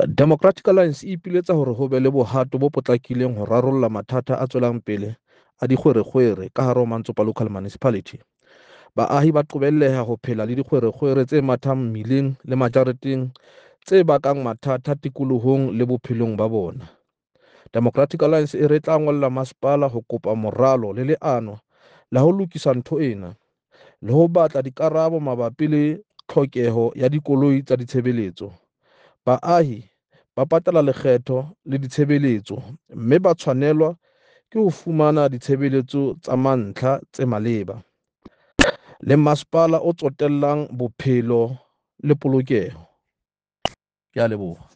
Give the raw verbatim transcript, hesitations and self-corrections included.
Democratic Alliance e ipiletsa hore ho be le bohato bo potlakileng ho rarolla mathata a tswelang pele a dikgwerekgwere ka hare ho Mantsopa Local Municipality. Baahi ba qobelleha ho phela le dikgwerekgwere tse mathang mmileng le majareteng tse bakang mathata tikolohong le bophelong ba bona. Democratic Alliance e re tla ngolla masepala ho kopa moralo le leano la ho lokisa ntho ena le ho batla dikarabo mabapi le tlhokeho ya dikoloi tsa ditshebeletso. Baahi ba patala lekgetho le ditshebeletso mme ba tshwanelwa ke ho fumana ditshebeletso tsa mantlha tse maleba. Le masepala o tsotellang bophelo le polokeho. Ke a leboha.